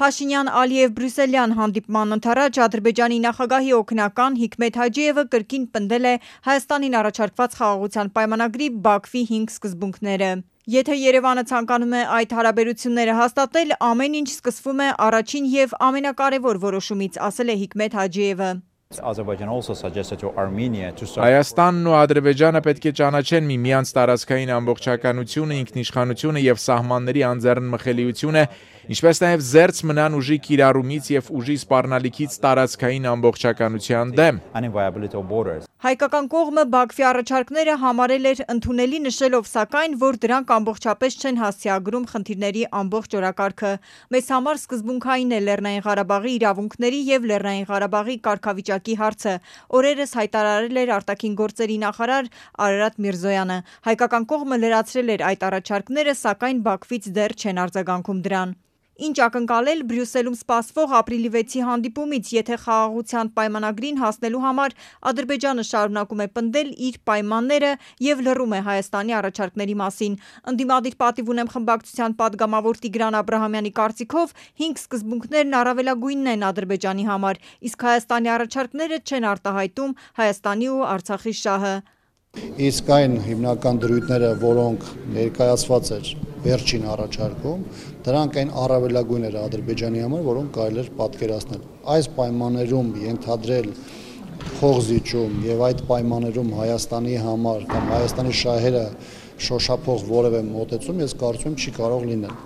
Փաշինյան-Ալիև-Բրյուսելյան հանդիպման ընթառաջ Ադրբեջանի նախագահի օգնական Հիկմեթ Հաջիևը կրկին պնդել է Հայաստանին առաջարկված խաղաղության պայմանագրի Բաքվի 5 սկզբունքները։ Եթե Երևանը ցանկանում է այդ հարաբերությունները հաստատել, ամեն ինչ սկսվում է առաջին և ամենակարևոր որոշումից, ասել է Հիկմեթ Հաջիևը։ Հայաստանն ու Ադրբեջանը պետք է ճանաչեն միմյանց տարածքային ամբողջականությունը, ինքնիշխանությունը և սահմանների անձեռնմխելիությունը, ինչպես նաև զերծ մնան ուժի կիրառումից և ուժի սպառնալիքից տարածքային ամբողջականության դեմ։ Հայկական կողմը Բաքվի առաջարկները համարել էր ընդունելի, նշելով սակայն, որ դրանք ամբողջապես չեն հասցեագրում խնդիրների ամբողջ օրակարգը։ Մեզ համար սկզբունքային է Լեռնային Ղարաբաղի իրավունքների և Լեռնային Ղարաբաղի կարգավիճակի հարցը, օրերս հայտարարել էր արտաքին գործերի նախարար Արարատ Միրզոյանը։ Հայկական կողմը լրացրել էր այդ առաջարկները, սակայն Բաքվից դեռ չեն արձագանքում դրան։ Ինչ ակնկալել Բրյուսելում սպասվող ապրիլի 6-ի հանդիպումից, եթե խաղաղության պայմանագրին հասնելու համար Ադրբեջանը շարունակում է պնդել իր պայմանները և լռում է Հայաստանի առաջարկների մասին։ Ընդդիմադիր պատիվ ունեմ խմբակցության падգամավոր Տիգրան Աբրահամյանի կարծիքով 5 սկզբունքներն առավելագույնն են Ադրբեջանի համար, իսկ Հայաստանի առաջարկները չեն արտահայտում Հայաստանի ու Արցախի շահը։ Իսկ այն հիմնական դրույթները, որոնք ներկայացված էր վերջին առաջարկում, դրանք այն առավելագույնները Ադրբեջանի համար, որոնք կարելի էր պատկերացնել։ Այս պայմաններում ենթադրել փողզիջում եւ այդ պայմաններում Հայաստանի համար կամ Հայաստանի շահերը շոշափող որևէ մոտեցում, ես կարծում եմ, չի կարող լինել։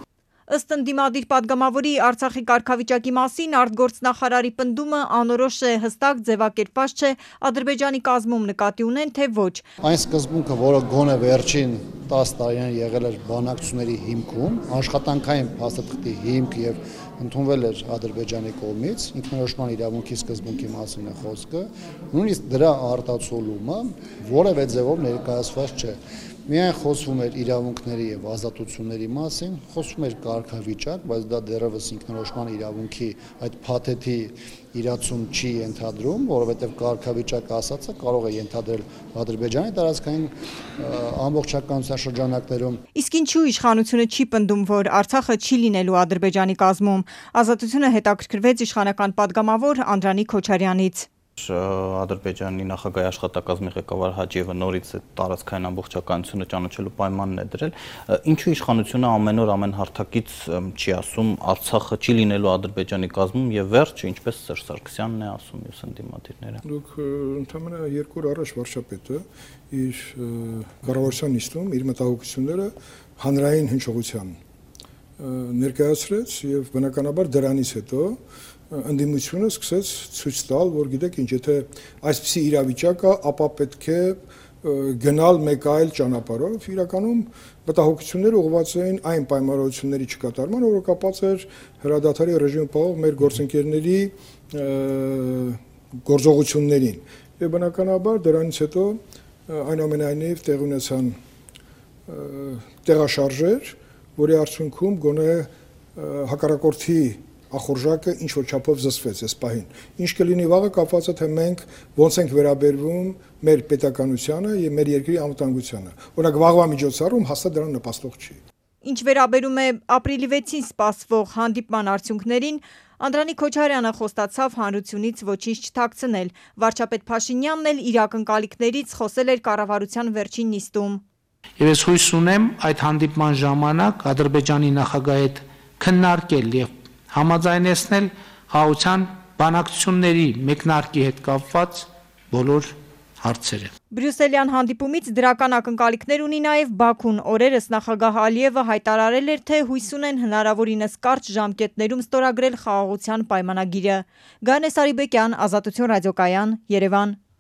Ըստ ընդդիմադիր падգամավորի Արցախի կարգավիճակի մասին արտգործնախարարի պնդումը անորոշ է, հստակ ձևակերպված չէ Ադրբեջանի կազմում նկատի ունեն, թե ոչ։ Այն սկզբունքը, որը գոնե վերջին 10 տարիներին եղել էր բանակցությունների հիմքում, աշխատանքային փաստաթղթի հիմք եւ ընդունվել էր Ադրբեջանի կողմից, ինքնորոշման իրավունքի սկզբունքի մասին է խոսքը, նույնիսկ դրա արտացոլումը որևէ ձևով ներկայացված չէ։ Միայն խոսվում էր իրավունքների եւ ազատությունների մասին, խոսվում էր կարգավիճակ, բայց դա դեռևս ինքնորոշման իրավունքի այդ փաթեթի իրացում չի ենթադրում, որովհետեւ կարգավիճակ ասածը կարող է ենթադրել Ադրբեջանի տարածքային ամբողջականության շրջանակներում։ Իսկ ինչու իշխանությունը չի պնդում, որ Արցախը չի լինելու Ադրբեջանի կազմում։ Ազատությունը հետաքրքրվեց իշխանական падգամավոր Անդրանիկ Քոչարյանից։ Ադրբեջանի նախագահի աշխատակազմի ղեկավար Հաջիևը նորից է տարածքային ամբողջականությունը ճանաչելու պայմանն է դրել։ Ինչու իշխանությունը ամեն օր ամեն հարթակից չի ասում Արցախը չի լինելու Ադրբեջանի կազմում եւ վերջ, ինչպես Սերժ Սարգսյանն է ասում եւ ընդդիմադիրները։ Դուք ընդհանրապես 2 օր առաջ վարչապետը իր կառավարության նիստում իր մտահոգությունները հանրային հնչողության ներկայացրեց եւ բնականաբար դրանից հետո ընդդիմությունը սկսեց ցույց տալ, որ գիտեք ինչ, եթե այսպիսի իրավիճակ կա, ապա պետք է գնալ մեկ այլ ճանապարհով, իրականում մտահոգությունները ուղղված էին այն պայմանավորությունների չկատարման, որը կապված էր հրադադարի ռեժիմը պահող մեր գործընկերների գործողություններին։ Եվ բնականաբար դրանից հետո այնուամենայնիվ տեղ ունեցան տեղաշարժեր, որի արդյունքում գոնե հակառակորդի ախորժակը ինչ որ չափով զսվեց այս պահին։ Ինչ կլինի վաղը կապված է թե մենք ոնց ենք վերաբերվում մեր պետականությանը եւ մեր երկրի անվտանգությանը։ Օրինակ վաղվա միջոցառում հաստատ դրան նպաստող չի։ Ինչ վերաբերում է ապրիլի 6-ին սպասվող հանդիպման արդյունքներին, Անդրանիկ Քոչարյանը խոստացավ հանրությունից ոչինչ չթաքցնել։ Վարչապետ Փաշինյանն էլ իր ակնկալիքներից խոսել էր կառավարության վերջին նիստում։ Եվ ես հույս ունեմ այդ հանդիպման ժամանակ Ադրբեջանի նախագահի հետ քննարկել եւ համաձայնեցնել խաղաղության բանակցությունների մեկնարկի հետ կապված բոլոր հարցերը։ Բրյուսելյան հանդիպումից դրական ակնկալիքներ ունի նաև Բաքուն։ Օրերս նախագահ Ալիևը հայտարարել էր, թե հույս ունեն հնարավորինս կարճ ժամկետներում ստորագրել խաղաղության պայմանագիրը։ Գանե Սարիբեկյան, Ազատություն ռադիոկայան, Երևան։